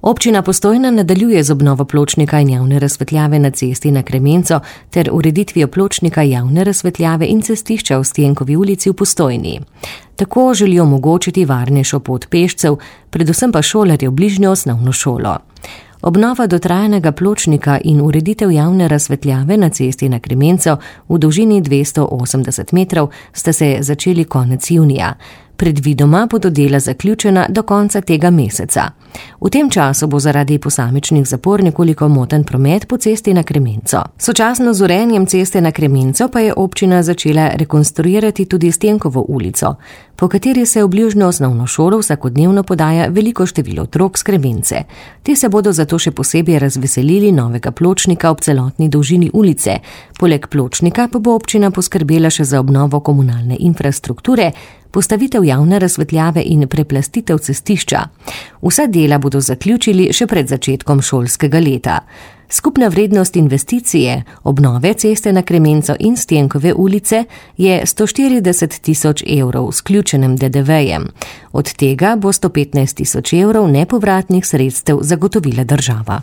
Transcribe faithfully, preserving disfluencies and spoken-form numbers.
Občina Postojna nadaljuje z obnovo pločnika in javne razsvetljave na cesti na Kremenco ter ureditvijo pločnika javne razsvetljave in cestišča v Stenkovi ulici v Postojni. Tako želijo omogočiti varnejšo pot pešcev, predvsem pa šolarjev bližnjo osnovno šolo. Obnova dotrajanega pločnika in ureditev javne razsvetljave na cesti na Kremenco v dolžini dvesto osemdeset metrov sta se začeli konec junija. Predvidoma bodo dela zaključena do konca tega meseca. V tem času bo zaradi posamičnih zapor nekoliko moten promet po cesti na Kremenco. Sočasno z urejanjem ceste na Kremenco pa je občina začela rekonstruirati tudi Stenkovo ulico, po kateri se v bližnjo osnovno šolo vsakodnevno podaja veliko število otrok s Kremence. Ti se bodo zato še posebej razveselili novega pločnika ob celotni dolžini ulice. Poleg pločnika pa bo občina poskrbela še za obnovo komunalne infrastrukture, postavitev javne razsvetljave in preplastitev cestišča. Vsa dela bodo zaključili še pred začetkom šolskega leta. Skupna vrednost investicije obnove ceste na Kremenco in Stenkove ulice je sto štirideset tisoč evrov s vključenim de de vejem. Od tega bo sto petnajst tisoč evrov nepovratnih sredstev zagotovila država.